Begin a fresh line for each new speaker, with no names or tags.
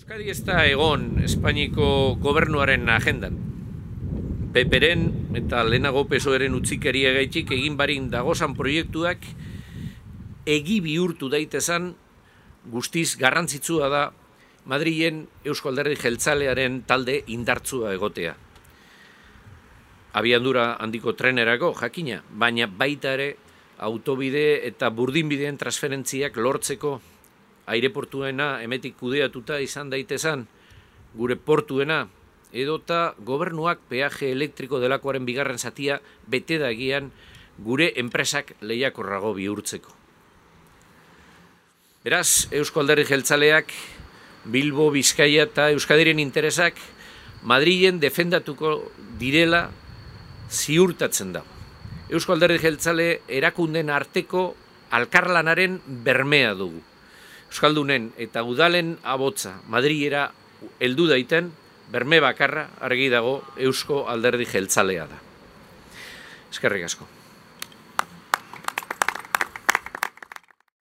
Euskadi ez da egon Espainiko gobernuaren agendan. Peperen eta lehenago PSOEren utzikeria gaitik egin barin dagozan proiektuak egi bihurtu daitezan guztiz garrantzitsua da Madrilen Eusko Alderdi Jeltzalearen talde indartsua egotea. Abiadura handiko trenerako jakina, baina baita ere autobide eta burdinbideen transferentziak lortzeko aireportuena hemetik kudeatuta izan daitezan, gure portuena, edota gobernuak peaje elektriko delakoaren bigarren zatia bete dagian gure enpresak lehiakorrago bihurtzeko. Beraz, Eusko Alderdi Jeltzaleak, Bilbo, Bizkaia eta Euskadiren interesak Madrilen defendatuko direla ziurtatzen da. Eusko Alderdi Jeltzale erakunden arteko alkarlanaren bermea dugu. Euskaldunen eta udalen abotza Madrilera heldu daiten berme bakarra argi dago Eusko Alderdi Jeltzalea da. Eskerrik asko.